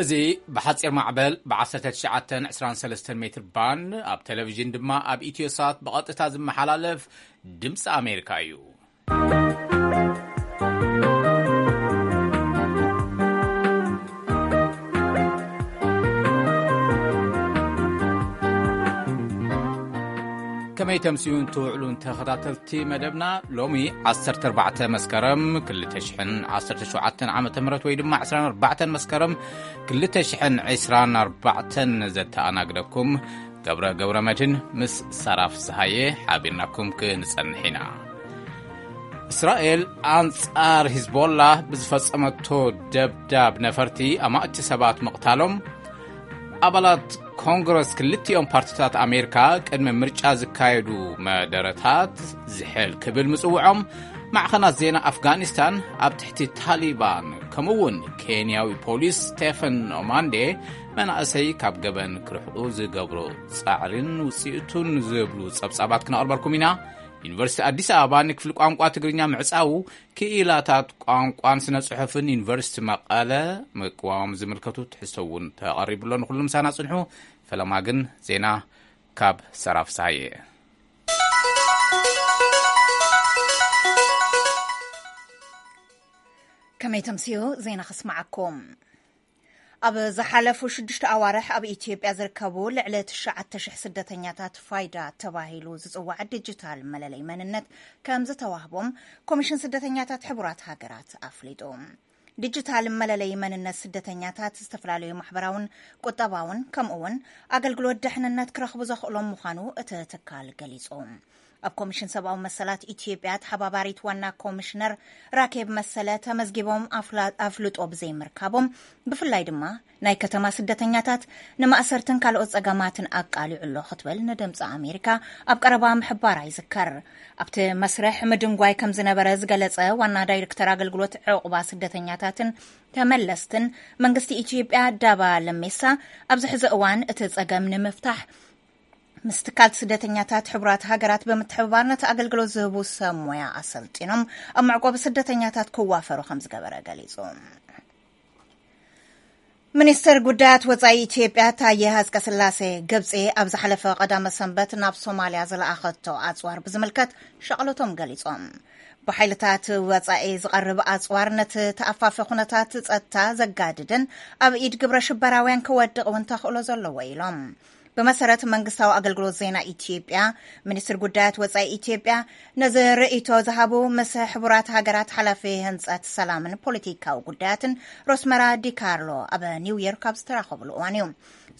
እዚ ብሓጺር ማዕበል ብ1923 ሜትር ባንድ፣ ኣብ ቴሌቪዥን ድማ ኣብ ኢትዮሳት ብቐጥታ ዝመሓላለፍ ድምፂ ኣሜሪካ እዩ። ከመይ ተምስዩን ትውዕሉን ተኸታተልቲ መደብና፣ ሎሚ 14 መስከረም 2017 ዓ ም ወይ ድማ 24 መስከረም 2024 ዘተኣናግደኩም ገብረ ገብረ መድህን ምስ ሳራ ፍስሃየ ሓቢርናኩም ክንጸንሕ ኢና። እስራኤል ኣንጻር ሂዝቦላ ብዝፈጸመቶ ደብዳብ ነፈርቲ ኣማእቲ ሰባት ምቕታሎም፣ ኣባላት ኮንግረስ ክልቲኦም ፓርቲታት ኣሜሪካ ቅድሚ ምርጫ ዝካየዱ መደረታት ዝሕል ክብል ምጽውዖም፣ ማዕኸናት ዜና ኣፍጋኒስታን ኣብ ትሕቲ ታሊባን፣ ከምኡ እውን ኬንያዊ ፖሊስ ስቴፈን ኦማንዴ መናእሰይ ካብ ገበን ክርሕቁ ዝገብሮ ጻዕሪን ውጽኢቱን ዝብሉ ጸብጻባት ክነቕርበልኩም ኢና። ዩኒቨርሲቲ ኣዲስ ኣበባ ንክፍሊ ቋንቋ ትግርኛ ምዕጻዉ፣ ክኢላታት ቋንቋን ስነ ጽሑፍን ዩኒቨርሲቲ መቐለ ምቅዋም ዝምልከቱ ትሕዝቶ እውን ተቐሪቡ ኣሎ። ንኹሉ ምሳና ጽንሑ። ፈለማ ግን ዜና ካብ ሰራ ፍስሃየ። ከመይ ተምስዩ ዜና ከስምዓኩም። ኣብ ዝሓለፉ ሽዱሽተ ኣዋርሕ ኣብ ኢትዮጵያ ዝርከቡ ልዕሊ 9,000 ስደተኛታት ፋይዳ ተባሂሉ ዝጽዋዕ ዲጂታል መለለይ መንነት ከም ዝተዋህቦም ኮሚሽን ስደተኛታት ሕቡራት ሃገራት ኣፍሊጡ። ዲጂታል መለለይ መንነት ስደተኛታት ዝተፈላለዩ ማሕበራውን ቁጠባውን ከምኡ እውን ኣገልግሎት ድሕንነት ክረኽቡ ዘኽእሎም ምዃኑ እቲ ትካል ገሊጹ። ኣብ ኮሚሽን ሰብኣዊ መሰላት ኢትዮጵያ ተሓባባሪት ዋና ኮሚሽነር ራኬብ መሰለ፣ ተመዝጊቦም ኣፍላ-፣ ኣፍልጦ ብዘይምርካቦም፣ ብፍላይ ድማ ናይ ከተማ ስደተኛታት ንማእሰርትን ካልኦት ጸገማትን ኣቃሊዑ ኣሎ ክትብል ንድምፂ ኣሜሪካ ኣብ ቀረባ ምሕባራ ይዝከር። ኣብቲ መስርሕ ምድንጓይ ከም ዝነበረ ዝገለጸ ዋና ዳይሬክተር ኣገልግሎት ዕቑባ ስደተኛታትን ተመለስትን መንግስቲ ኢትዮጵያ ዳባ ለሜሳ፣ ኣብዚ ሕዚ እዋን እቲ ጸገም ንምፍታሕ ምስ ትካል ስደተኛታት ሕቡራት ሃገራት ብምትሕብባር ነቲ ኣገልግሎት ዝህቡ ሰብ ሞያ ኣሰልጢኖም ኣብ መዕቆቢ ስደተኛታት ክዋፈሩ ከም ዝገበረ ገሊጹ። ሚኒስትር ጉዳያት ወጻኢ ኢትዮጵያ ታየ ሃጽቀስላሴ፣ ግብጺ ኣብ ዝሓለፈ ቀዳመ ሰንበት ናብ ሶማልያ ዝለኣኸቶ ኣጽዋር ብዝምልከት ሻቕሎቶም ገሊጾም። ብሓይልታት ወጻኢ ዝቐርብ ኣጽዋር ነቲ ተኣፋፊ ኩነታት ጸጥታ ዘጋድድን ኣብ ኢድ ግብረ ሽበራውያን ክወድቕ እውን ተኽእሎ ዘለዎ ኢሎም። ብመሰረት መንግስታዊ ኣገልግሎት ዜና ኢትዮጵያ፣ ሚኒስትር ጉዳያት ወጻኢ ኢትዮጵያ ነዚ ርእይቶ ዝሃቡ ምስ ሕቡራት ሃገራት ሓላፊ ህንጸት ሰላምን ፖለቲካዊ ጉዳያትን ሮስመራ ዲካርሎ ኣብ ኒውዮርክ ኣብ ዝተራኸብሉ እዋን እዩ።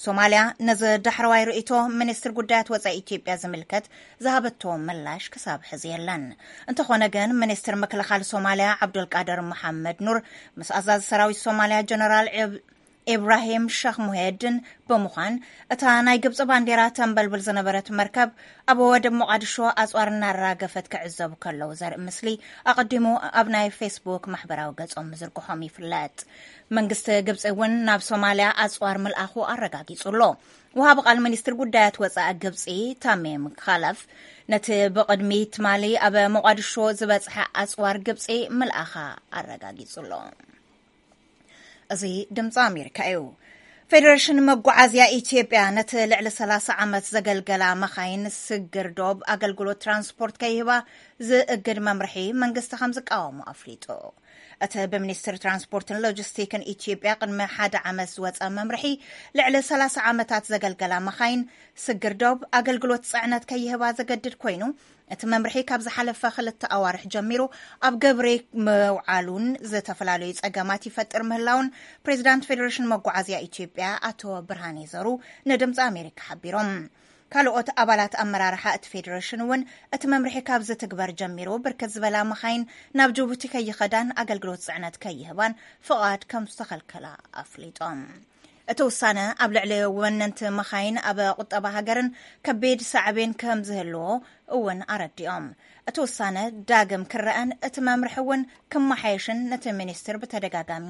ሶማልያ ነዚ ዳሕረዋይ ርእይቶ ሚኒስትር ጉዳያት ወጻኢ ኢትዮጵያ ዝምልከት ዝሃበቶ ምላሽ ክሳብ ሕዚ የለን። እንተኾነ ግን፣ ሚኒስትር ምክልኻል ሶማልያ ዓብዱልቃድር መሓመድ ኑር ምስ ኣዛዚ ሰራዊት ሶማልያ ጀነራል ዕብ-፣ ኢብራሂም ሸኽ ሙሄድን ብምዃን፣ እታ ናይ ግብጺ ባንዴራ ተንበልብል ዝነበረት መርከብ ኣብ ወደብ ሞቓድሾ ኣጽዋር እናራገፈት ክዕዘቡ ከለዉ ዘርኢ ምስሊ ኣቐዲሙ ኣብ ናይ ፌስቡክ ማሕበራዊ ገጾም ምዝርግሖም ይፍለጥ። መንግስቲ ግብጺ እውን ናብ ሶማልያ ኣጽዋር ምልኣኹ ኣረጋጊጹ ኣሎ። ወሃቢ ቃል ሚኒስትር ጉዳያት ወጻኢ ግብጺ ታሚም ካለፍ፣ ነቲ ብቕድሚ ትማሊ ኣብ ሞቓድሾ ዝበጽሐ ኣጽዋር ግብጺ ምልኣኻ ኣረጋጊጹ ኣሎ። እዚ ድምፂ ኣሜሪካ እዩ። ፌደሬሽን መጓዓዝያ ኢትዮጵያ ነቲ ልዕሊ 30 ዓመት ዘገልገላ መኻይን ስግር ዶብ ኣገልግሎት ትራንስፖርት ከይህባ ዝእግድ መምርሒ መንግስቲ ከም ዝቃወሞ ኣፍሊጡ። እቲ ብሚኒስትሪ ትራንስፖርትን ሎጂስቲክን ኢትዮጵያ ቅድሚ ሓደ ዓመት ዝወፀ መምርሒ፣ ልዕሊ 30 ዓመታት ዘገልገላ መኻይን ስግር ዶብ ኣገልግሎት ፅዕነት ከይህባ ዘገድድ ኮይኑ፣ እቲ መምርሒ ካብ ዝሓለፈ ክልተ ኣዋርሕ ጀሚሩ ኣብ ግብሪ ምውዓሉን ዝተፈላለዩ ጸገማት ይፈጥር ምህላውን ፕሬዚዳንት ፌዴሬሽን መጓዓዝያ ኢትዮጵያ ኣቶ ብርሃኔ ዘሩ ንድምፂ ኣሜሪካ ሓቢሮም። ካልኦት ኣባላት ኣመራርሓ እቲ ፌዴሬሽን እውን እቲ መምርሒ ካብ ዝትግበር ጀሚሩ ብርክት ዝበላ መኻይን ናብ ጅቡቲ ከይኸዳን ኣገልግሎት ጽዕነት ከይህባን ፍቓድ ከም ዝተኸልከላ ኣፍሊጦም። እቲ ውሳነ ኣብ ልዕሊ ወነንቲ መኻይን ኣብ ቁጠባ ሃገርን ከቢድ ሳዕቤን ከም ዝህልዎ እውን ኣረዲኦም። እቲ ውሳነ ዳግም ክረአን እቲ መምርሒ እውን ክመሓየሽን ነቲ ሚኒስትር ብተደጋጋሚ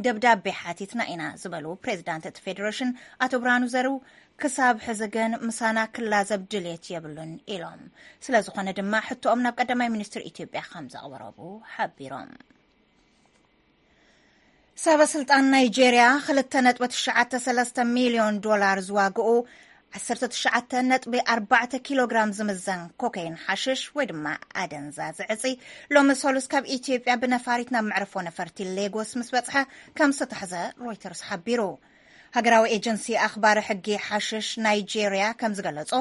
ደብዳቤ ሓቲትና ኢና ዝበሉ ፕሬዚዳንት እቲ ፌዴሬሽን ኣቶ ብርሃኑ ዘሩ፣ ክሳብ ሕዚ ግን ምሳና ክላዘብ ድልየት የብሉን ኢሎም። ስለ ዝኾነ ድማ ሕቶኦም ናብ ቀዳማይ ሚኒስትር ኢትዮጵያ ከም ዘቕረቡ ሓቢሮም። ሰበ ስልጣን ናይጄርያ ክልተ ነጥቢ ትሽዓተ ሰለስተ ሚልዮን ዶላር ዝዋግኡ ዓሰርተ ትሽዓተ ነጥቢ ኣርባዕተ ኪሎ ግራም ዝምዘን ኮኬይን ሓሽሽ ወይ ድማ ኣደንዛዚ ዕፂ ሎሚ ሰሉስ ካብ ኢትዮጵያ ብነፋሪት ናብ መዕርፎ ነፈርቲ ሌጎስ ምስ በፅሐ ከም ዝተታሕዘ ሮይተርስ ሓቢሩ። ሃገራዊ ኤጀንሲ ኣኽባሪ ሕጊ ሓሽሽ ናይጄርያ ከም ዝገለጾ፣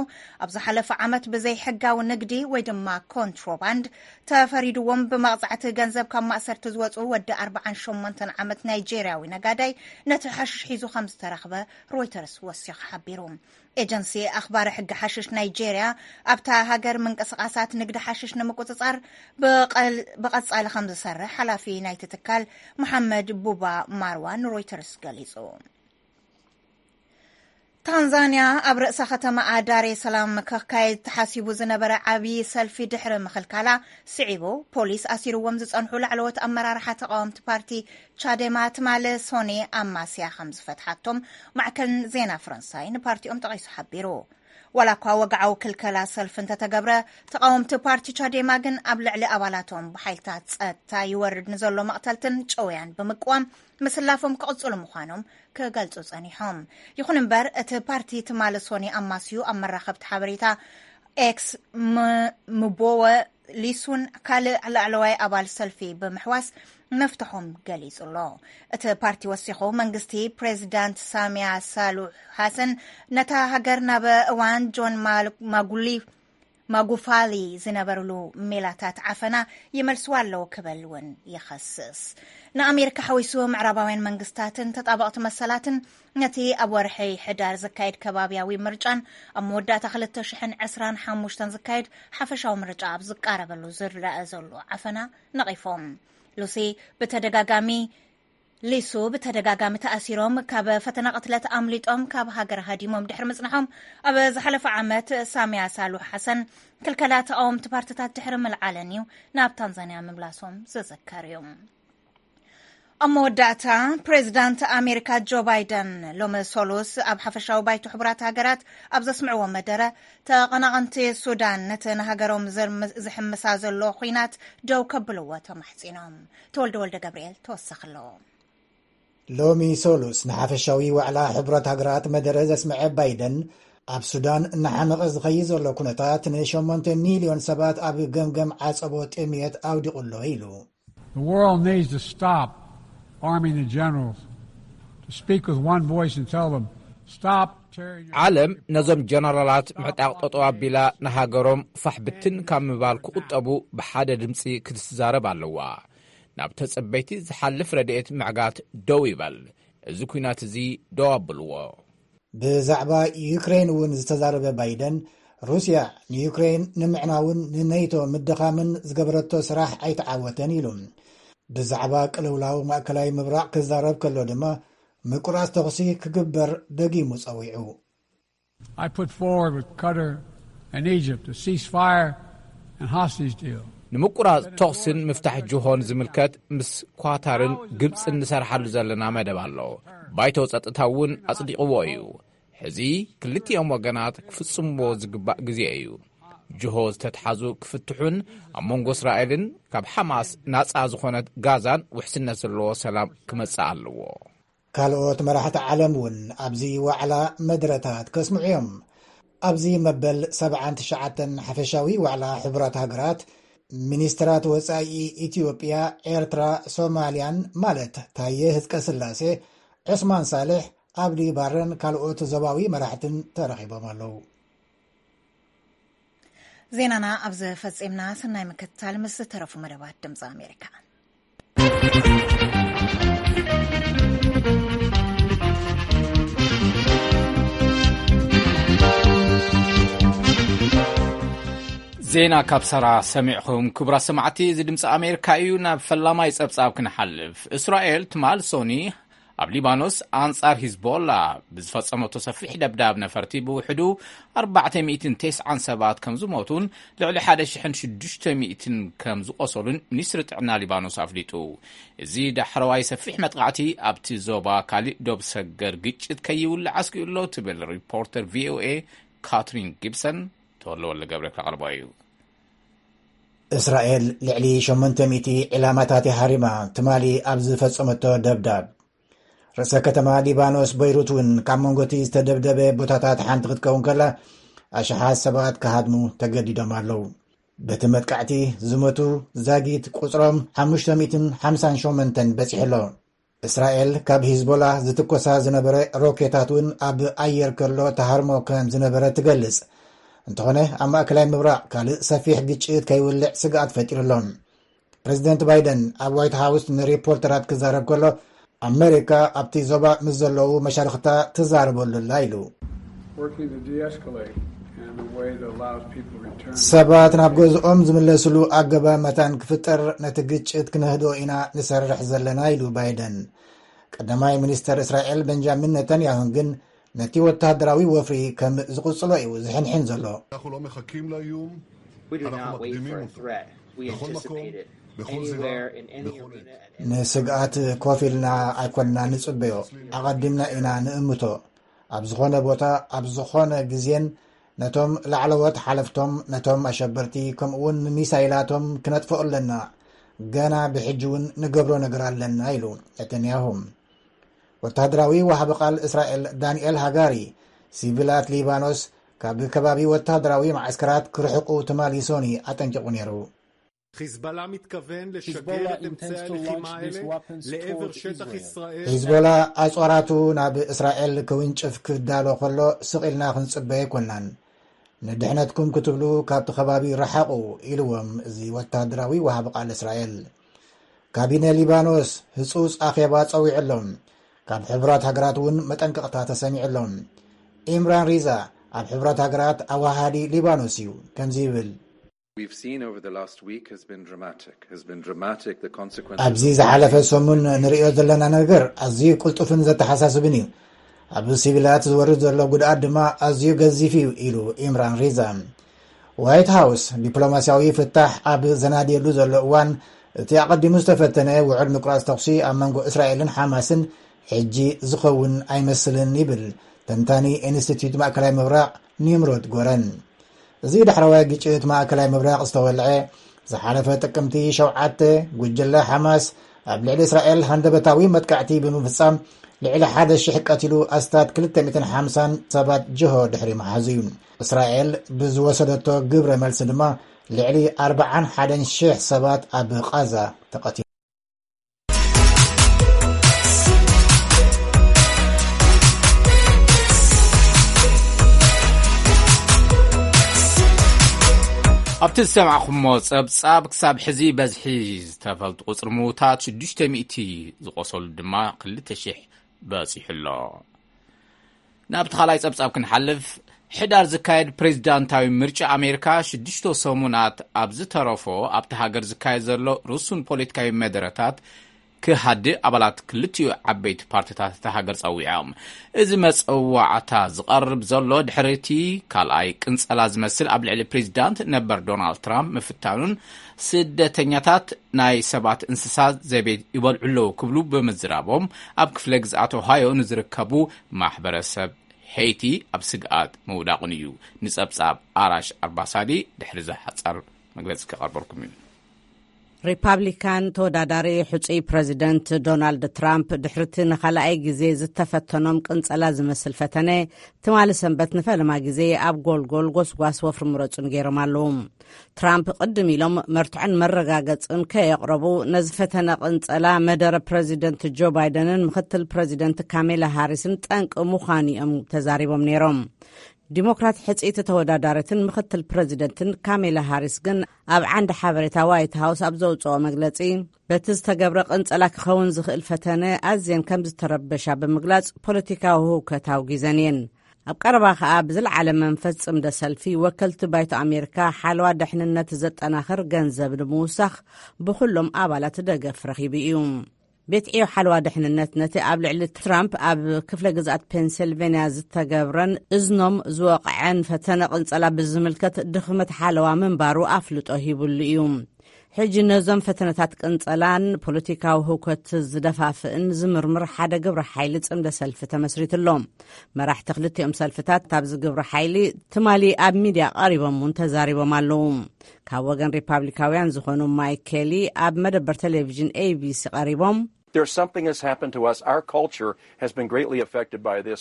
ኣብ ዝሓለፈ ዓመት ብዘይ ሕጋዊ ንግዲ ወይ ድማ ኮንትሮባንድ ተፈሪድዎም ብመቕጻዕቲ ገንዘብ ካብ ማእሰርቲ ዝወጹ ወዲ ኣርባዓን ሸሞንተን ዓመት ናይጄርያዊ ነጋዳይ ነቲ ሓሽሽ ሒዙ ከም ዝተረኽበ ሮይተርስ ወሲኹ ሓቢሩ። ኤጀንሲ ኣኽባሪ ሕጊ ሓሽሽ ናይጄርያ ኣብታ ሃገር ምንቅስቓሳት ንግዲ ሓሽሽ ንምቁጽጻር ብቐል-፣ ብቐጻሊ ከም ዝሰርሕ ሓላፊ ናይቲ ትካል መሓመድ ቡባ ማርዋ ንሮይተርስ ገሊጹ። ታንዛንያ ኣብ ርእሰ ከተማኣ ዳሬ ሰላም ክካየድ ተሓሲቡ ዝነበረ ዓብዪ ሰልፊ ድሕሪ ምኽልካላ ስዒቡ፣ ፖሊስ ኣሲርዎም ዝጸንሑ ላዕለዎት ኣመራርሓ ተቓወምቲ ፓርቲ ቻዴማ ትማሊ ሶኒ ኣማስያ ከም ዝፈትሓቶም ማዕከን ዜና ፈረንሳይ ንፓርቲኦም ጠቒሱ ሓቢሩ። ዋላ እኳ ወግዓዊ ክልከላ ሰልፊ እንተተገብረ፣ ተቓወምቲ ፓርቲ ቻዴማ ግን ኣብ ልዕሊ ኣባላቶም ብሓይልታት ጸጥታ ይወርድ ንዘሎ መቕተልትን ጨውያን ብምቅዋም ምስላፎም ክቕጽሉ ምዃኖም ክገልጹ ጸኒሖም። ይኹን እምበር፣ እቲ ፓርቲ ትማሊ ሶኒ ኣማስዩ ኣብ መራኸብቲ ሓበሬታ ኤክስ ም-፣ ምቦወ ሊሱን ካልእ ላዕለዋይ ኣባል ሰልፊ ብምሕዋስ መፍትሖም ገሊጹ ኣሎ። እቲ ፓርቲ ወሲኹ፣ መንግስቲ ፕሬዚዳንት ሳሚያ ሳሉሕ ሓሰን ነታ ሃገር ናብ እዋን ጆን ማ-፣ ማጉሊ-፣ ማጉፋሊ ዝነበርሉ ሜላታት ዓፈና ይመልስዋ ኣለዉ ክብል እውን ይኸስስ። ንኣሜሪካ ሓዊሱ ምዕራባውያን መንግስታትን ተጣበቕቲ መሰላትን ነቲ ኣብ ወርሒ ሕዳር ዝካየድ ከባብያዊ ምርጫን ኣብ መወዳእታ ክልተ ሽሕን ዕስራን ሓሙሽተን ዝካየድ ሓፈሻዊ ምርጫ ኣብ ዝቃረበሉ ዝረአ ዘሎ ዓፈና ነቒፎም። ሉሲ ብተደጋጋሚ፣ ሊሱ ብተደጋጋሚ ተኣሲሮም ካብ ፈተና ቅትለት ኣምሊጦም ካብ ሃገር ሃዲሞም ድሕሪ ምጽናሖም፣ ኣብ ዝሓለፈ ዓመት ሳሚያ ሳሉሕ ሓሰን ክልከላ ተቓወምቲ ፓርትታት ድሕሪ ምልዓለን እዩ ናብ ታንዛንያ ምምላሶም ዝዝከር እዩ። ኣብ መወዳእታ፣ ፕሬዚዳንት ኣሜሪካ ጆ ባይደን ሎሚ ሰሉስ ኣብ ሓፈሻዊ ባይቶ ሕቡራት ሃገራት ኣብ ዘስምዕዎ መደረ፣ ተቐናቐንቲ ሱዳን ነቲ ንሃገሮም ዘርም-፣ ዝሕምሳ ዘሎ ኹናት ደው ከብልዎ ተማሕጺኖም። ተወልደ ወልደ ገብርኤል ተወሳኺ ኣለዎ። ሎሚ ሰሉስ ንሓፈሻዊ ዋዕላ ሕቡራት ሃገራት መደረ ዘስምዐ ባይደን፣ ኣብ ሱዳን እናሓመቐ ዝኸይድ ዘሎ ኩነታት ንሸሞንተ ሚልዮን ሰባት ኣብ ገምገም ዓጸቦ ጥምየት ኣውዲቑ ኣሎ ኢሉ። The world needs to stop arming the generals, to speak with one voice and tell them, "Stop tearing your" ዓለም ነዞም ጀነራላት ምዕጣቕ ጠጠው ኣቢላ ንሃገሮም ፋሕ ብትን ካብ ምባል ክቑጠቡ ብሓደ ድምፂ ክትዛረብ ኣለዋ። ናብ ተጸበይቲ ዝሓልፍ ረድኤት ምዕጋት ደው ይበል። እዚ ኲናት እዚ ደው ኣብልዎ። ብዛዕባ ዩክሬን እውን ዝተዛረበ ባይደን፣ ሩስያ ንዩክሬን ንምዕናውን ንኔቶ ምድኻምን ዝገበረቶ ስራሕ ኣይተዓወተን ኢሉ። ብዛዕባ ቅልውላው ማእከላይ ምብራቕ ክዛረብ ከሎ ድማ፣ ምቁራጽ ተኹሲ ክግበር ደጊሙ ጸዊዑ። I put forward with Qatar and Egypt a ceasefire and hostage deal. ንምቁራጽ ተኹስን ምፍታሕ ጅሆን ዝምልከት ምስ ኳታርን ግብጽን ንሰርሓሉ ዘለና መደብ ኣሎ። ባይቶ ጸጥታ እውን ኣጽዲቕዎ እዩ። ሕዚ ክልቲኦም ወገናት ክፍጽምዎ ዝግባእ ግዜ እዩ። ጅሆ ዝተትሓዙ ክፍትሑን ኣብ መንጎ እስራኤልን ካብ ሓማስ ናጻ ዝኾነት ጋዛን ውሕስነት ዘለዎ ሰላም ክመጽእ ኣለዎ። ካልኦት መራሕቲ ዓለም እውን ኣብዚ ዋዕላ መደረታት ከስምዑ እዮም። ኣብዚ መበል ሰብዓን ትሽዓተን ሓፈሻዊ ዋዕላ ሕቡራት ሃገራት፣ ሚኒስትራት ወጻኢ ኢትዮጵያ፣ ኤርትራ፣ ሶማልያን ማለት ታየ ህዝቀ ስላሴ፣ ዑስማን ሳልሕ፣ ኣብዲ ባረን ካልኦት ዞባዊ መራሕትን ተረኺቦም ኣለዉ። ዜናና ኣብዚ ፈጺምና። ሰናይ ምክትታል ምስ ዝተረፉ መደባት ድምፂ ኣሜሪካ። ዜና ካብ ሰራ ሰሚዕኹም። ክቡራት ሰማዕቲ፣ እዚ ድምፂ ኣሜሪካ እዩ። ናብ ፈላማይ ጸብጻብ ክንሓልፍ። እስራኤል ትማል ሶኒ ኣብ ሊባኖስ ኣንጻር ሂዝቦላ ብዝፈጸመቶ ሰፊሕ ደብዳብ ነፈርቲ ብውሕዱ ኣርባዕተ ሚእትን ተስዓን ሰባት ከም ዝሞቱን ልዕሊ ሓደ ሽሕን ሽዱሽተ ሚእትን ከም ዝቖሰሉን ሚኒስትሪ ጥዕና ሊባኖስ ኣፍሊጡ። እዚ ዳሕረዋይ ሰፊሕ መጥቃዕቲ ኣብቲ ዞባ ካሊእ ዶብ ሰገር ግጭት ከይውልዕ ኣስጊኡ ኣሎ ትብል ሪፖርተር ቪ ኦ ኤ ካትሪን ጊብሰን። ተወልደ ወልደ ገብረ ከቕርቦ እዩ። እስራኤል ልዕሊ ሸሞንተ ሚእቲ ዕላማታት ሃሪማ ትማሊ ኣብ ዝፈጸመቶ ደብዳብ፣ ርእሰ ከተማ ሊባኖስ በይሩት እውን ካብ መንጎቲ ዝተደብደበ ቦታታት ሓንቲ ክትከውን ከላ፣ ኣሽሓት ሰባት ክሃድሙ ተገዲዶም ኣለዉ። በቲ መጥቃዕቲ ዝሞቱ ዛጊት ቁጽሮም ሓሙሽተ ሚእትን ሓምሳን ሸሞንተን በጺሑ ኣሎ። እስራኤል ካብ ሂዝቦላ ዝትኮሳ ዝነበረ ሮኬታት እውን ኣብ ኣየር ከሎ ተሃርሞ ከም ዝነበረ ትገልጽ። እንተኾነ፣ ኣብ ማእከላይ ምብራቕ ካልእ ሰፊሕ ግጭት ከይውልዕ ስግኣት ፈጢሩ ኣሎ። ፕሬዚደንት ባይደን ኣብ ዋይት ሃውስ ንሪፖርተራት ክዛረብ ከሎ፣ ኣመሪካ ኣብቲ ዞባ ምስ ዘለዉ መሻርኽታ ትዛረበሉ ኣላ ኢሉ። Working to de-escalate in a way that allows people to return. ሰባት ናብ ገዝኦም ዝምለስሉ ኣገባብ መታን ክፍጠር፣ ነቲ ግጭት ክነህድኦ ኢና ንሰርሕ ዘለና ኢሉ ባይደን። ቀዳማይ ሚኒስተር እስራኤል ቤንጃሚን ነታንያሁን ግን ነቲ ወተሃደራዊ ወፍሪ ከም ዝቕጽሎ እዩ ዝሕንሕን ዘሎ። אנחנו לא מחכים לאיום, We do אנחנו not wait מקדימים for a אותו. threat. We בכל מקום, anticipate it בכל זירה, anywhere, in any בכל arena, עת. at any ንስግኣት ኮፍ ኢልና ኣይኮንና ንጽበዮ፣ ኣቐዲምና ኢና ንእምቶ። ኣብ ዝኾነ ቦታ፣ ኣብ ዝኾነ ግዜን ነቶም ላዕለዎት ሓለፍቶም፣ ነቶም ኣሸበርቲ፣ ከምኡውን ንሚሳይላቶም ክነጥፍኦ ኣለና። ገና ብሕጂ እውን ንገብሮ ነገር ኣለና ኢሉ ነተንያሁ። ወተሃደራዊ ወሃቢ ቃል እስራኤል ዳንኤል ሃጋሪ፣ ሲቪላት ሊባኖስ ካብ ከባቢ ወተሃደራዊ መዓስከራት ክርሕቁ ትማሊ ሶኒ ኣጠንቂቑ ነይሩ። חיזבאללה מתכוון לשגר Hezbollah את אמצעי intends to launch הלחימה these האלה weapons לעבר toward שטח Israel. ישראל. ሂዝቦላ ኣጽዋራቱ ናብ እስራኤል ክውንጭፍ ክዳሎ ከሎ ስቕ ኢልና ክንጽበ ኣይኮናን። ንድሕነትኩም ክትብሉ ካብቲ ከባቢ ረሓቑ፣ ኢልዎም እዚ ወተሃደራዊ ወሃቢ ቃል እስራኤል። ካቢነ ሊባኖስ ህጹጽ ኣኼባ ጸዊዑ ኣሎ። ካብ ሕቡራት ሃገራት እውን መጠንቀቕታ ተሰሚዑ ኣሎ። ኢምራን ሪዛ ኣብ ሕቡራት ሃገራት ኣዋሃዲ ሊባኖስ እዩ። ከምዚ ይብል። We've seen over the last week has been dramatic, has been dramatic, the consequences. ኣብዚ ዝሓለፈ ሰሙን ንርእዮ ዘለና ነገር ኣዝዩ ቅልጡፍን ዘተሓሳስብን እዩ። ኣብ ሲቪላት ዝወርድ ዘሎ ጉድኣት ድማ ኣዝዩ ገዚፍ እዩ ኢሉ ኢምራን ሪዛ። ዋይት ሃውስ ዲፕሎማስያዊ ፍታሕ ኣብ ዘናድየሉ ዘሎ እዋን፣ እቲ ኣቐዲሙ ዝተፈተነ ውዕል ምቁራጽ ተኹሲ ኣብ መንጎ እስራኤልን ሓማስን ሕጂ ዝኸውን ኣይመስልን ይብል ተንታኒ ኢንስቲትዩት ማእከላይ ምብራቕ ኒምሮድ ጎረን። እዚ ዳሕረዋይ ግጭት ማእከላይ ምብራቕ ዝተወልዐ ዝሓለፈ ጥቅምቲ ሸውዓተ፣ ጉጅለ ሓማስ ኣብ ልዕሊ እስራኤል ሃንደበታዊ መጥቃዕቲ ብምፍጻም ልዕሊ ሓደ ሽሕ ቀቲሉ፣ ኣስታት ክልተ ሚእትን ሓምሳን ሰባት ጅሆ ድሕሪ ምሓዙ እዩ። እስራኤል ብዝወሰደቶ ግብረ መልሲ ድማ ልዕሊ ኣርብዓን ሓደን ሽሕ ሰባት ኣብ ቓዛ ተቐቲሉ። ኣብቲ ዝሰማዕኹሞ ጸብጻብ፣ ክሳብ ሕዚ በዝሒ ዝተፈልጡ ቁጽሪ ምዉታት ሽዱሽተ ሚእቲ፣ ዝቖሰሉ ድማ ክልተ ሽሕ በጺሑ ኣሎ። ናብቲ ካልኣይ ጸብጻብ ክንሓልፍ፣ ሕዳር ዝካየድ ፕሬዚዳንታዊ ምርጫ ኣሜሪካ ሽዱሽተ ሰሙናት ኣብ ዝተረፎ፣ ኣብቲ ሃገር ዝካየድ ዘሎ ርሱን ፖለቲካዊ መደረታት ክሃድእ ኣባላት ክልቲኡ ዓበይቲ ፓርቲታት እታ ሃገር ጸዊዖም። እዚ መጸዋዕታ ዝቐርብ ዘሎ ድሕሪ እቲ ካልኣይ ቅንጸላ ዝመስል ኣብ ልዕሊ ፕሬዚዳንት ነበር ዶናልድ ትራምፕ ምፍታኑን፣ ስደተኛታት ናይ ሰባት እንስሳ ዘቤት ይበልዑ ኣለዉ ክብሉ ብምዝራቦም፣ ኣብ ክፍለ ግዝኣት ኦሃዮ ንዝርከቡ ማሕበረሰብ ሄይቲ ኣብ ስግኣት ምውዳቑን እዩ። ንጸብጻብ ኣራሽ ኣርባሳዲ ድሕሪ ዝሓጻር መግለጺ ከቐርበልኩም እዩ። ሪፓብሊካን ተወዳዳሪ ሕጹይ ፕረዚደንት ዶናልድ ትራምፕ፣ ድሕሪቲ ንኻልኣይ ግዜ ዝተፈተኖም ቅንጸላ ዝመስል ፈተነ፣ ትማሊ ሰንበት ንፈለማ ግዜ ኣብ ጎልጎል ጎስጓስ ወፍሪ ምረጹ ንገይሮም ኣለዉ። ትራምፕ ቅድም ኢሎም መርትዖን መረጋገጽን ከየቕረቡ፣ ነዚ ፈተነ ቅንጸላ መደረ ፕረዚደንት ጆ ባይደንን ምኽትል ፕረዚደንት ካሜላ ሃሪስን ጠንቂ ምዃኑ እዮም ተዛሪቦም ነይሮም። ዲሞክራት ሕጽይቲ ተወዳዳሪትን ምኽትል ፕረዚደንትን ካሜላ ሃሪስ ግን ኣብ ዓንዲ ሓበሬታ ዋይት ሃውስ ኣብ ዘውጽኦ መግለጺ፣ በቲ ዝተገብረ ቅንጸላ ክኸውን ዝኽእል ፈተነ ኣዝየን ከም ዝተረበሻ ብምግላጽ፣ ፖለቲካዊ ህውከት ኣውጊዘን እየን። ኣብ ቀረባ ከኣ ብዝለዓለ መንፈስ ጽምደ ሰልፊ ወከልቲ ባይቶ ኣሜሪካ ሓለዋ ድሕንነት ዘጠናኽር ገንዘብ ንምውሳኽ ብኹሎም ኣባላት ደገፍ ረኺቡ እዩ። ቤት ዕዮ ሓለዋ ድሕንነት ነቲ ኣብ ልዕሊ ትራምፕ ኣብ ክፍለ ግዝኣት ፔንሲልቬንያ ዝተገብረን እዝኖም ዝወቕዐን ፈተነ ቅንጸላ ብዝምልከት ድኽመት ሓለዋ ምንባሩ ኣፍልጦ ሂቡሉ እዩ። ሕጂ ነዞም ፈተነታት ቅንጸላን ፖለቲካዊ ህውከት ዝደፋፍእን ዝምርምር ሓደ ግብረ ሓይሊ ጽምደ ሰልፊ ተመስሪቱ ኣሎ። መራሕቲ ክልቲኦም ሰልፍታት ኣብዚ ግብረ ሓይሊ ትማሊ ኣብ ሚድያ ቀሪቦም እውን ተዛሪቦም ኣለዉ። ካብ ወገን ሪፓብሊካውያን ዝኾኑ ማይክ ኬሊ ኣብ መደበር ቴሌቪዥን ኤቢሲ ቀሪቦም፣ There's something has happened to us. Our culture has been greatly affected by this.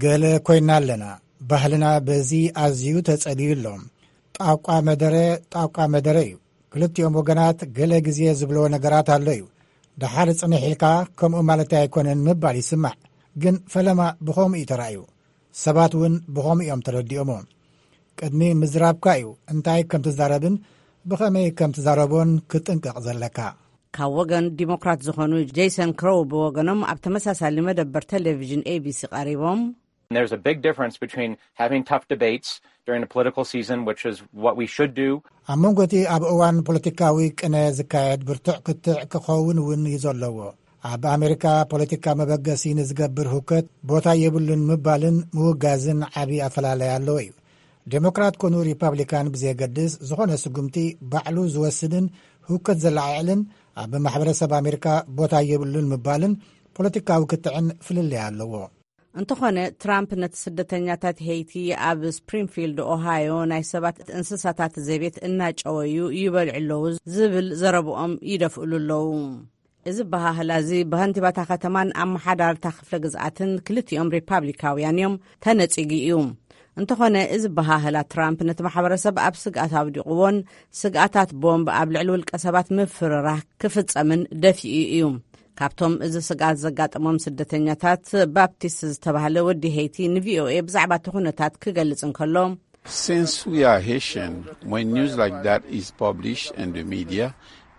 ገለ ኮይና ኣለና። ባህልና በዚ ኣዝዩ ተጸልዩ ኣሎ። ጣቋ መደረ፣ ጣቋ መደረ እዩ። ክልቲኦም ወገናት ገለ ግዜ ዝብልዎ ነገራት ኣሎ እዩ። ደሓር ጽንሕ ኢልካ ከምኡ ማለት ኣይኮነን ምባል ይስማዕ። ግን ፈለማ ብኸምኡ እዩ ተራእዩ። ሰባት እውን ብኸምኡ እዮም ተረዲኦሞ። ቅድሚ ምዝራብካ እዩ እንታይ ከም ትዛረብን ብኸመይ ከም ትዛረቦን ክትጥንቀቕ ዘለካ። ካብ ወገን ዲሞክራት ዝኾኑ ጄሰን ክሮው ብወገኖም ኣብ ተመሳሳሊ መደበር ቴሌቪዥን ኤቢሲ ቀሪቦም፣ There's a big difference between having tough debates during a political season, which is what we should do. ኣብ መንጎ እቲ ኣብ እዋን ፖለቲካዊ ቅነ ዝካየድ ብርቱዕ ክትዕ ክኸውን እውን እዩ ዘለዎ። ኣብ ኣሜሪካ ፖለቲካ መበገሲ ንዝገብር ህውከት ቦታ የብሉን ምባልን ምውጋዝን ዓቢ ኣፈላለይ ኣለዎ እዩ። ዴሞክራት ኮኑ ሪፓብሊካን ብዘየገድስ ዝኾነ ስጉምቲ ባዕሉ ዝወስድን ህውከት ዘለዓዕልን ኣብ ማሕበረሰብ ኣሜሪካ ቦታ የብሉን ምባልን ፖለቲካዊ ክትዕን ፍልልይ ኣለዎ። እንተኾነ ትራምፕ ነቲ ስደተኛታት ሄይቲ ኣብ ስፕሪንፊልድ ኦሃዮ ናይ ሰባት እንስሳታት ዘቤት እናጨወዩ ይበልዑ ኣለዉ ዝብል ዘረብኦም ይደፍእሉ ኣለዉ። እዚ በሃህላ እዚ ብኸንቲባታ ከተማን ኣመሓዳርታ ክፍለ ግዝኣትን ክልቲኦም ሪፓብሊካውያን እዮም ተነጺጉ እዩ። እንተኾነ እዚ በሃህላ ትራምፕ ነቲ ማሕበረሰብ ኣብ ስግኣት ኣውዲቕዎን ስግኣታት ቦምብ ኣብ ልዕሊ ውልቀ ሰባት ምፍርራህ ክፍጸምን ደፊኡ እዩ። ካብቶም እዚ ስግኣት ዘጋጠሞም ስደተኛታት ባፕቲስት ዝተባህለ ወዲ ሄይቲ ንቪኦኤ ብዛዕባ እቲ ኩነታት ክገልጽ እንከሎ፣ Since we are Haitian, when news like that is published in the media,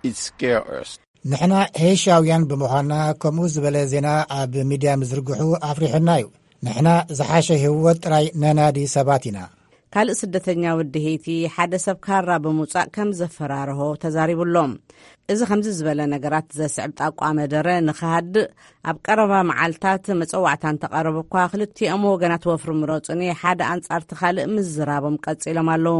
it scares us. ንሕና ሄይሻውያን ብምዃንና ከምኡ ዝበለ ዜና ኣብ ሚድያ ምዝርግሑ ኣፍሪሑና እዩ። ንሕና ዝሓሸ ህይወት ጥራይ ነናዲ ሰባት ኢና። ካልእ ስደተኛ ወዲ ሄይቲ ሓደ ሰብ ካራ ብምውጻእ ከም ዘፈራርሆ ተዛሪቡ ኣሎ። እዚ ከምዚ ዝበለ ነገራት ዘስዕብ ጣቋ መደረ ንኽሃድእ ኣብ ቀረባ መዓልታት መጸዋዕታ እንተቐረበ እኳ ክልቲኦም ወገናት ወፍሪ ምረጹኒ ሓደ ኣንጻርቲ ካልእ ምዝራቦም ቀጺሎም ኣለዉ።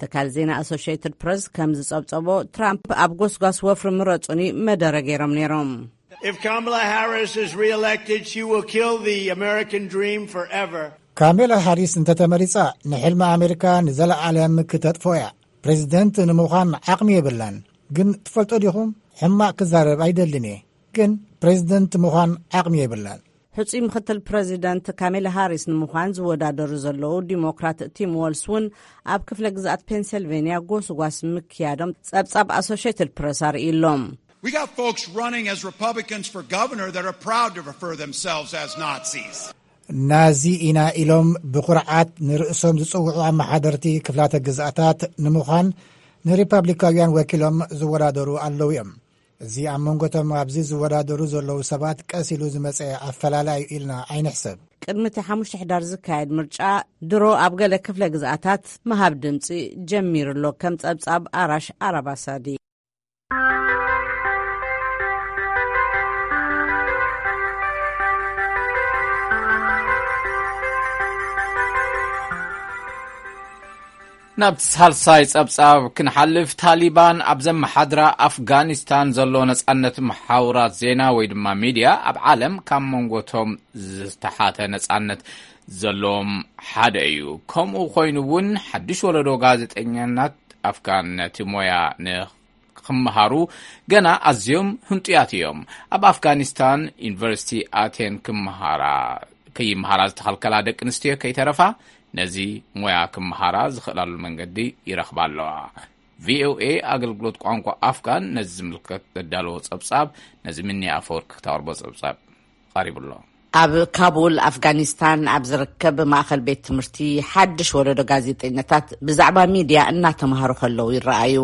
ትካል ዜና ኣሶሽየትድ ፕረስ ከም ዝጸብጸቦ ትራምፕ ኣብ ጎስጓስ ወፍሪ ምረጹኒ መደረ ገይሮም ነይሮም። If Kamala Harris is reelected, she will kill the American dream forever. ካሜላ ሃሪስ እንተተመሪጻ ንሕልሚ ኣሜሪካ ንዘለዓለም ክተጥፎ እያ። ፕሬዚደንት ንምዃን ዓቕሚ የብላን። ግን ትፈልጦ ዲኹም? ሕማቕ ክዛረብ ኣይደልን እየ፣ ግን ፕሬዚደንት ምዃን ዓቕሚ የብላን። ሕጹይ ምክትል ፕረዚደንት ካሜላ ሃሪስ ንምዃን ዝወዳደሩ ዘለዉ ዲሞክራት ቲም ዎልስ እውን ኣብ ክፍለ ግዝኣት ፔንሰልቬንያ ጎስጓስ ምክያዶም ጸብጻብ ኣሶሽየትድ ፕረስ ኣርእዩ ኣሎ። We got folks running as Republicans for governor that are proud to refer themselves as Nazis. ናዚ ኢና ኢሎም ብኩርዓት ንርእሶም ዝጽውዑ ኣመሓደርቲ ክፍላተ ግዝኣታት ንምዃን ንሪፓብሊካውያን ወኪሎም ዝወዳደሩ ኣለዉ እዮም። እዚ ኣብ መንጎቶም ኣብዚ ዝወዳደሩ ዘለዉ ሰባት ቀስ ኢሉ ዝመጸ ኣፈላላይ እዩ ኢልና ኣይንሕሰብ። ቅድሚ እቲ ሓሙሽተ ሕዳር ዝካየድ ምርጫ ድሮ ኣብ ገለ ክፍለ ግዝኣታት ምሃብ ድምጺ ጀሚሩ ኣሎ። ከም ጸብጻብ ኣራሽ ኣራባሳዲ። ናብቲ ሳልሳይ ጸብጻብ ክንሓልፍ፣ ታሊባን ኣብ ዘመሓድራ ኣፍጋኒስታን ዘሎ ነጻነት መሓውራት ዜና ወይ ድማ ሚድያ ኣብ ዓለም ካብ መንጎቶም ዝተሓተ ነጻነት ዘለዎም ሓደ እዩ። ከምኡ ኮይኑ እውን ሓድሽ ወለዶ ጋዜጠኛናት ኣፍጋን ነቲ ሞያ ንክምሃሩ ገና ኣዝዮም ህንጡያት እዮም። ኣብ ኣፍጋኒስታን ዩኒቨርሲቲ ኣቴን ክምሃራ ከይምሃራ ዝተኸልከላ ደቂ ኣንስትዮ ከይተረፋ ነዚ ሞያ ክምሃራ ዝኽእላሉ መንገዲ ይረኽባ ኣለዋ። ቪኦኤ ኣገልግሎት ቋንቋ ኣፍጋን ነዚ ዝምልከት ዘዳለዎ ጸብጻብ ነዚ ምኒ ኣፈወርቂ ክተቕርቦ ጸብጻብ ቀሪቡ ኣሎ። ኣብ ካቡል ኣፍጋኒስታን ኣብ ዝርከብ ማእኸል ቤት ትምህርቲ ሓድሽ ወለዶ ጋዜጠኛታት ብዛዕባ ሚድያ እናተምሃሩ ከለዉ ይረኣዩ።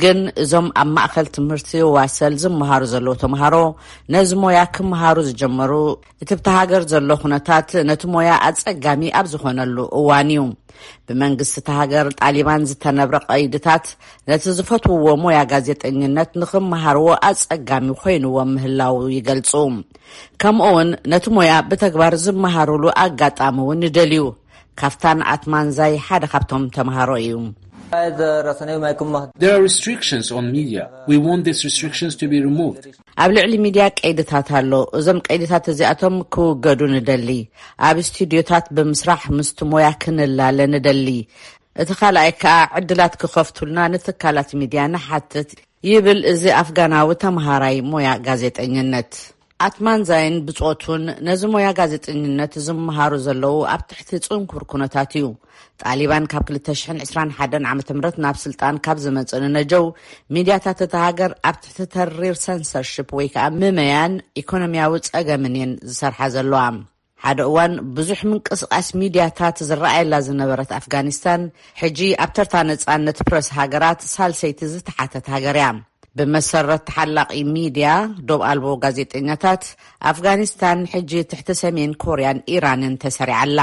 ግን እዞም ኣብ ማእኸል ትምህርቲ ዋሰል ዝመሃሩ ዘለዉ ተምሃሮ ነዚ ሞያ ክመሃሩ ዝጀመሩ እቲ ብቲ ሃገር ዘሎ ኩነታት ነቲ ሞያ ኣጸጋሚ ኣብ ዝኾነሉ እዋን እዩ። ብመንግስቲ እታ ሃገር ጣሊባን ዝተነብረ ቀይድታት ነቲ ዝፈትውዎ ሞያ ጋዜጠኝነት ንኽመሃርዎ ኣጸጋሚ ኮይንዎም ምህላው ይገልጹ። ከምኡ እውን ነቲ ሞያ ብተግባር ዝመሃሩሉ ኣጋጣሚ እውን ይደልዩ። ካፍታን ኣትማንዛይ ሓደ ካብቶም ተምሃሮ እዩ። There are restrictions on media. We want these restrictions to be removed. ኣብ ልዕሊ ሚድያ ቀይድታት ኣሎ። እዞም ቀይድታት እዚኣቶም ክውገዱ ንደሊ። ኣብ ስቱድዮታት ብምስራሕ ምስቲ ሞያ ክንላለ ንደሊ። እቲ ካልኣይ ከኣ ዕድላት ክኸፍቱልና ንትካላት ሚድያ ንሓትት፣ ይብል እዚ ኣፍጋናዊ ተምሃራይ ሞያ ጋዜጠኝነት። ኣትማንዛይን ብጾቱን ነዚ ሞያ ጋዜጠኝነት ዝምሃሩ ዘለዉ ኣብ ትሕቲ ጽንኩር ኩነታት እዩ። ጣሊባን ካብ ክልተ ሽሕን ዕስራን ሓደን ዓመተ ምህረት ናብ ስልጣን ካብ ዝመጽእ ንነጀው፣ ሚድያታት እታ ሃገር ኣብ ትሕቲ ተሪር ሰንሰርሽፕ ወይ ከኣ ምመያን ኢኮኖሚያዊ ጸገምን እየን ዝሰርሓ ዘለዋ። ሓደ እዋን ብዙሕ ምንቅስቓስ ሚድያታት ዝረኣየላ ዝነበረት ኣፍጋኒስታን፣ ሕጂ ኣብ ተርታ ነጻነት ፕረስ ሃገራት ሳልሰይቲ ዝተሓተት ሃገር እያ። ብመሰረት ተሓላቒ ሚድያ ዶብ ኣልቦ ጋዜጠኛታት፣ ኣፍጋኒስታን ሕጂ ትሕቲ ሰሜን ኮርያን ኢራንን ተሰሪዓ ኣላ።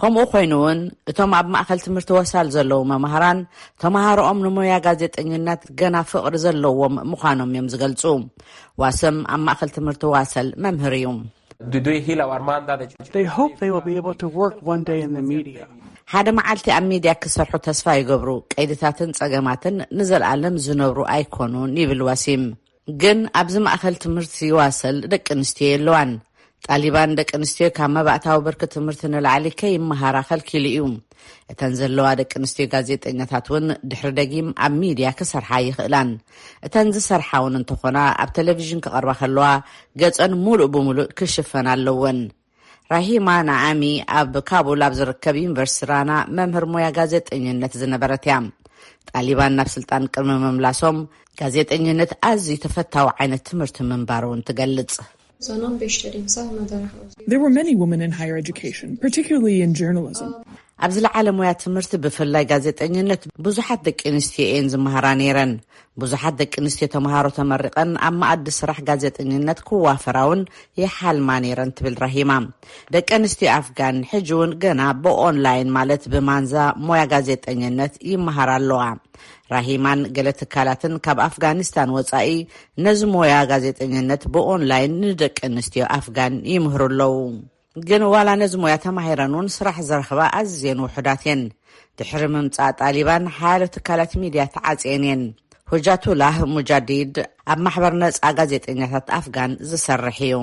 ከምኡ ኮይኑ እውን እቶም ኣብ ማእከል ትምህርቲ ወሳል ዘለዉ መማህራን፣ ተምሃሮኦም ንሞያ ጋዜጠኝነት ገና ፍቕሪ ዘለዎም ምዃኖም እዮም ዝገልጹ። ዋሰም ኣብ ማእከል ትምህርቲ ዋሰል መምህር እዩ። Do they heal our man that They hope they will be able to work one day in the media. ሓደ መዓልቲ ኣብ ሚድያ ክሰርሑ ተስፋ ይገብሩ። ቀይድታትን ጸገማትን ንዘለኣለም ዝነብሩ ኣይኮኑን፣ ይብል ዋሲም። ግን ኣብዚ ማእከል ትምህርቲ ዋሰል ደቂ ኣንስትዮ የለዋን። ጣሊባን ደቂ ኣንስትዮ ካብ መባእታዊ ብርኪ ትምህርቲ ንላዕሊ ከይመሃራ ከልኪሉ እዩ። እተን ዘለዋ ደቂ ኣንስትዮ ጋዜጠኛታት እውን ድሕሪ ደጊም ኣብ ሚድያ ክሰርሓ ይኽእላን። እተን ዝሰርሓ እውን እንተኾና ኣብ ቴሌቪዥን ክቐርባ ከለዋ ገጸን ሙሉእ ብሙሉእ ክሽፈን ኣለወን። ራሂማ ናዓሚ ኣብ ካቡል ኣብ ዝርከብ ዩኒቨርሲቲ ራና መምህር ሞያ ጋዜጠኝነት ዝነበረት እያ። ጣሊባን ናብ ስልጣን ቅድሚ ምምላሶም ጋዜጠኝነት ኣዝዩ ተፈታዊ ዓይነት ትምህርቲ ምንባሩ እውን ትገልጽ። There were many women in higher education, particularly in journalism. ኣብ ዝለዓለ ሞያ ትምህርቲ ብፍላይ ጋዜጠኝነት ብዙሓት ደቂ ኣንስትዮ እየን ዝመሃራ ነይረን። ብዙሓት ደቂ ኣንስትዮ ተምሃሮ ተመሪቐን ኣብ መኣዲ ስራሕ ጋዜጠኝነት ክዋፈራ እውን ይሓልማ ነይረን ትብል ራሂማ። ደቂ ኣንስትዮ ኣፍጋን ሕጂ እውን ገና ብኦንላይን ማለት ብማንዛ ሞያ ጋዜጠኝነት ይመሃራ ኣለዋ። ራሂማን ገለ ትካላትን ካብ ኣፍጋኒስታን ወጻኢ ነዚ ሞያ ጋዜጠኝነት ብኦንላይን ንደቂ ኣንስትዮ ኣፍጋን ይምህሩ ኣለዉ። ግን ዋላ ነዚ ሞያ ተማሂረን እውን ስራሕ ዝረኽባ ኣዝየን ውሑዳት እየን። ድሕሪ ምምጻእ ጣሊባን ሓያሎ ትካላት ሚድያ ተዓጽየን እየን። ሁጃቱላህ ሙጃዲድ ኣብ ማሕበር ነጻ ጋዜጠኛታት ኣፍጋን ዝሰርሕ እዩ።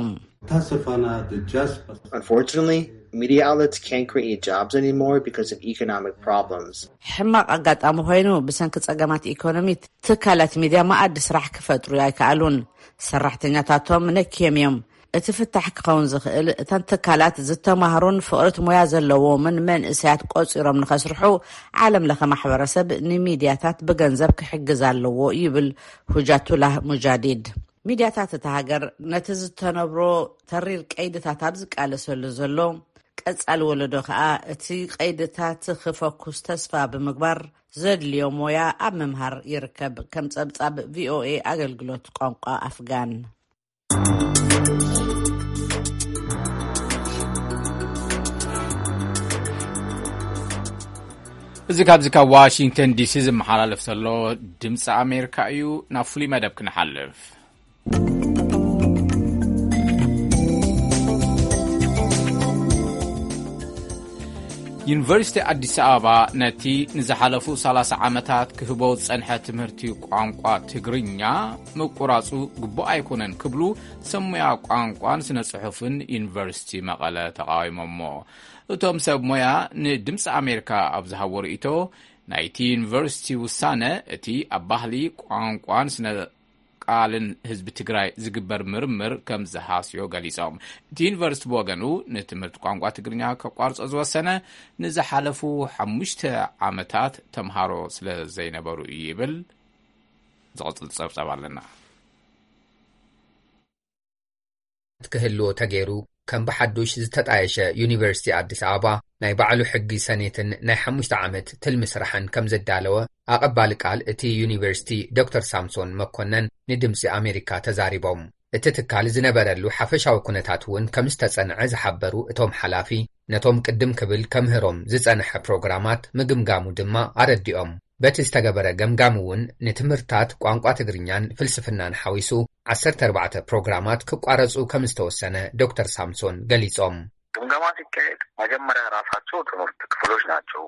Unfortunately, media outlets can't create jobs anymore because of economic problems. ሕማቕ ኣጋጣሚ ኮይኑ ብሰንኪ ጸገማት ኢኮኖሚ ትካላት ሚድያ መኣዲ ስራሕ ክፈጥሩ ኣይከኣሉን። ሰራሕተኛታቶም ነክዮም እዮም። እቲ ፍታሕ ክኸውን ዝኽእል እተን ትካላት ዝተማህሩን ፍቕሪት ሞያ ዘለዎምን መንእሰያት ቆጺሮም ንኸስርሑ ዓለም ለኸ ማሕበረሰብ ንሚድያታት ብገንዘብ ክሕግዝ ኣለዎ ይብል ሁጃቱላህ ሙጃዲድ። ሚድያታት እታ ሃገር ነቲ ዝተነብሮ ተሪር ቀይድታት ኣብ ዝቃለሰሉ ዘሎ ቀጻሊ ወለዶ ከኣ እቲ ቀይድታት ክፈኩስ ተስፋ ብምግባር ዘድልዮ ሞያ ኣብ ምምሃር ይርከብ። ከም ጸብጻብ ቪኦኤ ኣገልግሎት ቋንቋ ኣፍጋን። እዚ ካብዚ ካብ ዋሽንግተን ዲሲ ዝመሓላለፍ ዘሎ ድምፂ ኣሜሪካ እዩ። ናብ ፍሉይ መደብ ክንሓልፍ። ዩኒቨርሲቲ ኣዲስ ኣበባ ነቲ ንዝሓለፉ ሰላሳ ዓመታት ክህቦ ዝጸንሐ ትምህርቲ ቋንቋ ትግርኛ ምቁራጹ ግቡእ ኣይኮነን ክብሉ ሰብ ሞያ ቋንቋን ስነ ጽሑፍን ዩኒቨርሲቲ መቐለ ተቓዊሞሞ። እቶም ሰብ ሞያ ንድምፂ ኣሜሪካ ኣብ ዝሃቦ ርእይቶ፣ ናይቲ ዩኒቨርሲቲ ውሳነ እቲ ኣብ ባህሊ ቋንቋን ስነ ቃልን ህዝቢ ትግራይ ዝግበር ምርምር ከም ዝሃስዮ ገሊጾም። እቲ ዩኒቨርሲቲ ብወገኑ ንትምህርቲ ቋንቋ ትግርኛ ከቋርጾ ዝወሰነ ንዝሓለፉ ሓሙሽተ ዓመታት ተምሃሮ ስለ ዘይነበሩ እዩ ይብል። ዝቕጽል ጸብጻብ ኣለና። ክህልዎ ተገይሩ ከም ብሓዱሽ ዝተጣየሸ ዩኒቨርሲቲ ኣዲስ ኣበባ ናይ ባዕሉ ሕጊ ሰኔትን ናይ ሓሙሽተ ዓመት ትልሚ ስራሕን ከም ዘዳለወ ኣቐባሊ ቃል እቲ ዩኒቨርሲቲ ዶክተር ሳምሶን መኮነን ንድምፂ ኣሜሪካ ተዛሪቦም። እቲ ትካል ዝነበረሉ ሓፈሻዊ ኩነታት እውን ከም ዝተጸንዐ ዝሓበሩ እቶም ሓላፊ፣ ነቶም ቅድም ክብል ከምህሮም ዝጸንሐ ፕሮግራማት ምግምጋሙ ድማ ኣረዲኦም። በቲ ዝተገበረ ገምጋም እውን ንትምህርታት ቋንቋ ትግርኛን ፍልስፍናን ሓዊሱ ዓሰርተ ኣርባዕተ ፕሮግራማት ክቋረጹ ከም ዝተወሰነ ዶክተር ሳምሶን ገሊጾም። ግምገማ ሲካሄድ መጀመሪያ ራሳቸው ትምህርት ክፍሎች ናቸው።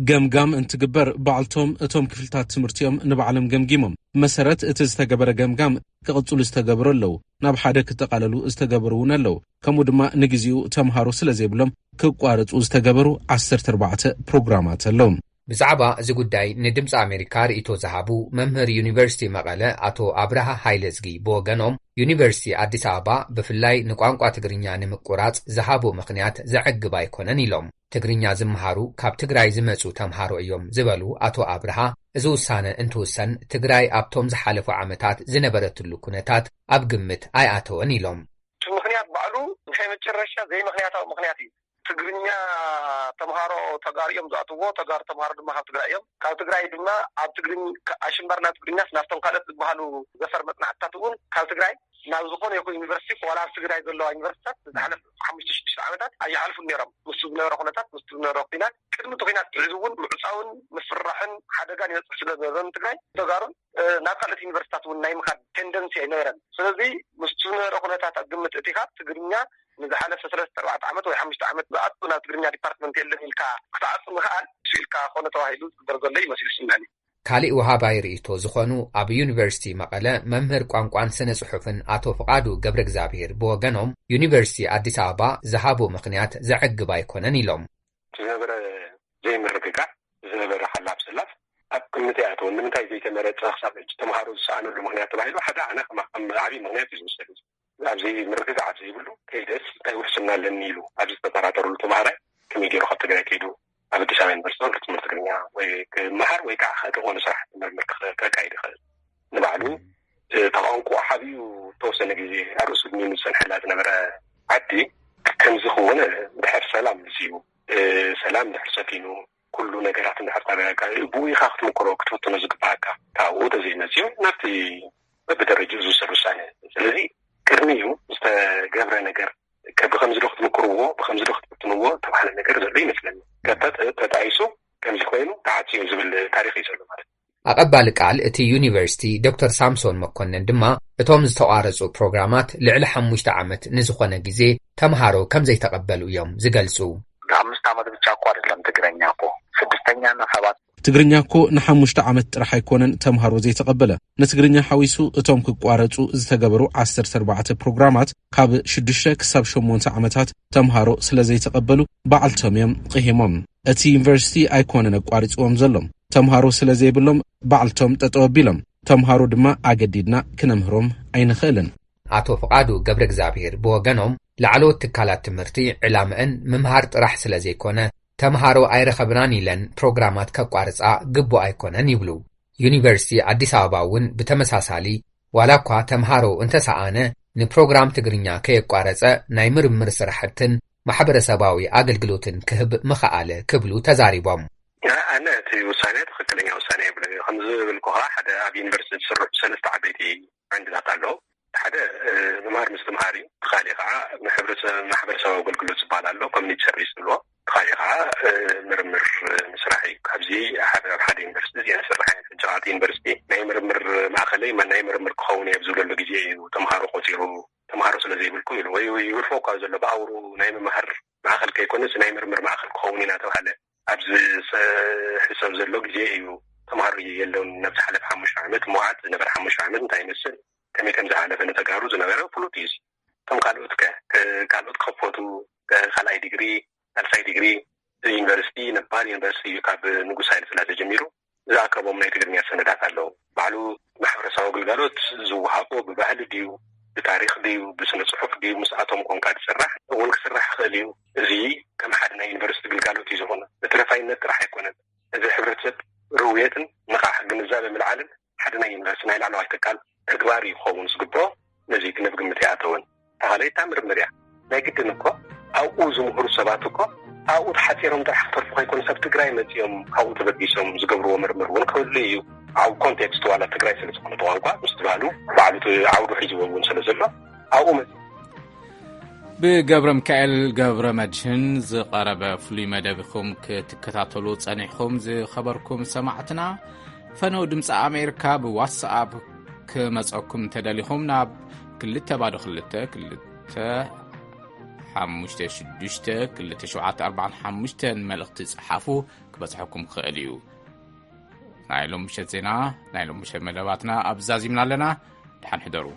ገምጋም እንትግበር፣ ባዕልቶም እቶም ክፍልታት ትምህርቲ እዮም ንባዕሎም ገምጊሞም። መሰረት እቲ ዝተገበረ ገምጋም ክቕጽሉ ዝተገበሩ ኣለዉ። ናብ ሓደ ክጠቓለሉ ዝተገበሩ እውን ኣለዉ። ከምኡ ድማ ንግዜኡ ተምሃሮ ስለ ዘይብሎም ክቋረጹ ዝተገበሩ ዓሰርተ ኣርባዕተ ፕሮግራማት ኣለዉ። ብዛዕባ እዚ ጉዳይ ንድምፂ ኣሜሪካ ርእይቶ ዝሃቡ መምህር ዩኒቨርሲቲ መቐለ ኣቶ ኣብርሃ ሃይለዝጊ ብወገኖም፣ ዩኒቨርሲቲ ኣዲስ ኣበባ ብፍላይ ንቋንቋ ትግርኛ ንምቁራፅ ዝሃቦ ምኽንያት ዘዕግብ ኣይኮነን ኢሎም። ትግርኛ ዝመሃሩ ካብ ትግራይ ዝመፁ ተምሃሮ እዮም ዝበሉ ኣቶ ኣብርሃ፣ እዚ ውሳነ እንትውሰን ትግራይ ኣብቶም ዝሓለፉ ዓመታት ዝነበረትሉ ኩነታት ኣብ ግምት ኣይኣተወን ኢሎም። እቲ ምኽንያት ባዕሉ ናይ መጨረሻ ዘይምኽንያታዊ ምኽንያት እዩ። ትግርኛ ተምሃሮ ተጋሩ እዮም ዝኣትዎ፣ ተጋሩ ተምሃሮ ድማ ካብ ትግራይ እዮም። ካብ ትግራይ ድማ ኣብ ትግርኝ ኣሽምባር ናብ ትግርኛስ ናብቶም ካልኦት ዝበሃሉ ዘፈር መፅናዕትታት እውን ካብ ትግራይ ናብ ዝኾነ ይኹን ዩኒቨርሲቲ፣ ዋላ ኣብ ትግራይ ዘለዋ ዩኒቨርሲቲታት ዝሓለፈ ሓሙሽተ ሽዱሽተ ዓመታት ኣይሓልፉን ነይሮም። ምስቲ ዝነበረ ኩነታት፣ ምስቲ ዝነበረ ኩናት፣ ቅድሚ እቲ ኩናት ሒዙ እውን ምዕፃውን ምፍርራሕን ሓደጋን ይበፅሕ ስለ ዝነበረ ንትግራይ ተጋሩን ናብ ካልኦት ዩኒቨርሲታት እውን ናይ ምኻድ ቴንደንሲ ኣይነበረን። ስለዚ ምስቲ ዝነበረ ኩነታት ኣብ ግምት እቲኻ ትግርኛ ንዝሓለፈ ሰለስተ ኣርባዕተ ዓመት ወይ ሓሙሽተ ዓመት ዝኣቱ ናብ ትግርኛ ዲፓርትመንት የለን ኢልካ ክትዓፁ ምኽኣል እሱ ኢልካ ኮነ ተባሂሉ ዝግበር ዘሎ ይመስል ይስምዐኒ። ካሊእ ወሃባይ ርእይቶ ዝኾኑ ኣብ ዩኒቨርሲቲ መቐለ መምህር ቋንቋን ስነ ጽሑፍን ኣቶ ፍቓዱ ገብረ እግዚኣብሔር ብወገኖም፣ ዩኒቨርሲቲ ኣዲስ ኣበባ ዝሃቦ ምኽንያት ዘዕግብ ኣይኮነን ኢሎም። ዝነበረ ዘይምርግጋዕ፣ ዝነበረ ሓላፍ ሰላፍ ኣብ ግምት ኣይኣተወን። ንምንታይ ዘይተመረጸ ክሳብ ሕጂ ተምሃሮ ዝሰኣነሉ ምኽንያት ተባሂሉ ሓደ ኣነ ከም ከም ዓብዪ ምኽንያት እዩ ዝውሰድ። ኣብዚ ምርግጋዕ ኣብ ዘይብሉ ከይደስ እንታይ ውሕስና ኣለኒ ኢሉ ኣብዚ ዝተጠራጠሩሉ ተምሃራይ ከመይ ገይሩ ካብ ትግራይ ከይዱ ኣብ ኣዲስ ኣበባ ዩኒቨርሲቲ ትምህርቲ ትግርኛ ወይ ክመሃር ወይ ከዓ ከጥቕኡ ንስራሕ ምርምር ክኸ- ከካይድ ይኽእል? ንባዕሉ እቲ ቋንቋ ሓቢኡ ተወሰነ ግዜ ኣብ ርእሱ ድሚኑ ዝፀንሐላ ዝነበረ ዓዲ ከምዚ ክውን ድሕር ሰላም ምስ እዩ ሰላም ድሕር ሰፊኑ ኩሉ ነገራት እንድሕር ተረጋጋ ብኡ ኢኻ ክትምክሮ ክትፍትኖ ዝግባኣካ። ካብኡ ተዘይመፅኡ ናብቲ በብደረጅኡ ዝውሰድ ውሳነ። ስለዚ ቅድሚኡ ዝተገብረ ነገር ከ- ብኸምዚ ዶ ክትምክርዎ ብኸምዚ ዶ ክትፍትንዎ ተባህለ ነገር ዘሎ ይመስለኒ። ከተ ተጣይሱ ከምዚ ኮይኑ ተዓፅዩ ዝብል ታሪክ እዩ ዘሎ ማለት እዩ። ኣቐባሊ ቃል እቲ ዩኒቨርሲቲ ዶክተር ሳምሶን መኮነን ድማ እቶም ዝተቋረፁ ፕሮግራማት ልዕሊ ሓሙሽተ ዓመት ንዝኾነ ግዜ ተምሃሮ ከም ዘይተቐበሉ እዮም ዝገልፁ። ለአምስት ዓመት ብቻ እኮ አይደለም ትግረኛ እኮ ስድስተኛና ሰባት ትግርኛ እኮ ንሓሙሽተ ዓመት ጥራሕ ኣይኮነን ተምሃሮ ዘይተቐበለ። ንትግርኛ ሓዊሱ እቶም ክቋረፁ ዝተገበሩ ዓሰርተ ኣርባዕተ ፕሮግራማት ካብ ሽዱሽተ ክሳብ ሸሞንተ ዓመታት ተምሃሮ ስለ ዘይተቐበሉ ባዕልቶም እዮም ቕሂሞም። እቲ ዩኒቨርሲቲ ኣይኮነን ኣቋሪፅዎም ዘሎ። ተምሃሮ ስለ ዘይብሎም ባዕልቶም ጠጠው ኣቢሎም። ተምሃሮ ድማ ኣገዲድና ክነምህሮም ኣይንኽእልን። ኣቶ ፍቓዱ ገብረ እግዚኣብሔር ብወገኖም ላዕለዎት ትካላት ትምህርቲ ዕላምአን ምምሃር ጥራሕ ስለ ዘይኮነ ተምሃሮ ኣይረኸብናን ኢለን ፕሮግራማት ከቋርፃ ግቡእ ኣይኮነን ይብሉ። ዩኒቨርሲቲ ኣዲስ ኣበባ እውን ብተመሳሳሊ ዋላ እኳ ተምሃሮ እንተሰኣነ ንፕሮግራም ትግርኛ ከየቋረፀ ናይ ምርምር ስራሕትን ማሕበረሰባዊ ኣገልግሎትን ክህብ ምኸኣለ ክብሉ ተዛሪቦም። ኣነ እቲ ውሳነ ትኽክለኛ ውሳነ የብለ ከምዚ ዝብልኩኻ ሓደ ኣብ ዩኒቨርሲቲ ዝስርሑ ሰለስተ ዓበይቲ ዓንድታት ኣለዉ። ሓደ ምምሃር ምስትምሃር እዩ። ካሊእ ከዓ ማሕበረሰባዊ ኣገልግሎት ዝበሃል ኣሎ ኮሚኒቲ ሰርቪስ ዝብልዎ። ካሊእ ከዓ ምርምር ምስራሕ እዩ። ካብዚ ሓደ ኣብ ሓደ ዩኒቨርሲቲ እዚኣ ዝስራሕ እየ። ሕጂ ከዓ እቲ ዩኒቨርሲቲ ናይ ምርምር ማእኸለይ ናይ ምርምር ክኸውን እየ ኣብ ዝብለሉ ግዜ እዩ ተምሃሮ ቆፂሩ ተምሃሮ ስለ ዘይብልኩም ኢሉ ወይ ይግርፎ እኳ ዘሎ ብኣውሩ ናይ ምምሃር ማእኸል ከይኮነስ ናይ ምርምር ማእኸል ክኸውን ኢና ተባሃለ ኣብዚ ዝሕሰብ ዘሎ ግዜ እዩ። ተምሃሮ የለውን ናብ ዝሓለፈ ሓሙሽተ ዓመት መውዓት ዝነበረ ሓሙሽተ ዓመት እንታይ ይመስል ከመይ ከም ዝሓለፈ ንተጋሩ ዝነበረ ፍሉጥ እዩ። ከም ካልኦት ከ ካልኦት ክኸፈቱ ካልኣይ ዲግሪ ሳልሳይ ዲግሪ ዩኒቨርሲቲ ነባር ዩኒቨርሲቲ እዩ ካብ ንጉስ ሃይለ ስላሴ ጀሚሩ ዝኣከቦም ናይ ትግርኛ ሰነዳት ኣለዉ። ባዕሉ ማሕበረሰባዊ ግልጋሎት ዝወሃቦ ብባህሊ ድዩ ብታሪክ ድዩ ብስነ ፅሑፍ ድዩ ምስኣቶም ኮንካ ዝስራሕ እውን ክስራሕ ይኽእል እዩ። እዚ ከም ሓደ ናይ ዩኒቨርሲቲ ግልጋሎት እዩ ዝኾነ። ተረፋይነት ጥራሕ ኣይኮነን። እዚ ሕብረተሰብ ርውየትን ንቃሕ ግንዛበ ምልዓልን ሓደ ናይ ዩኒቨርሲቲ ናይ ላዕለዋይ ትካል ተግባር እዩ ክኸውን ዝግብኦ። ነዚ ግን ኣብ ግምት ኣይኣተወን። ተኻለይታ ምርምር እያ። ናይ ግድን እኮ ኣብኡ ዝምህሩ ሰባት እኮ ኣብኡ ተሓፂሮም ጥራሕ ክተርፉ ከይኮኑ ሰብ ትግራይ መፂኦም ካብኡ ተበጊሶም ዝገብርዎ ምርምር እውን ክህሉ እዩ። ኣብ ኮንቴክስት ዋላ ትግራይ ስለ ዝኾነ ብቋንቋ ምስ ትባህሉ ባዕሉ እቲ ዓውዱ ሒዝዎ እውን ስለ ዘሎ ኣብኡ መፂኦም ብገብረ ሚካኤል ገብረ መድህን ዝቐረበ ፍሉይ መደብ ኢኹም ክትከታተሉ ጸኒሕኹም ዝኸበርኩም ሰማዕትና። ፈነው ድምፂ ኣሜሪካ ብዋትስኣፕ ክመፀኩም እንተደሊኹም ናብ ክልተ ባዶ ክልተ ክልተ ሓሙሽተ ሽዱሽተ ክልተ ሸውዓተ ኣርባዕተ ሓሙሽተ መልእኽቲ ጸሓፉ፣ ክበጽሐኩም ክኽእል እዩ። ናይ ሎም ምሸት ዜና፣ ናይ ሎም ምሸት መደባትና ኣብ ዛዚምና ኣለና። ደሓን ሕደሩ።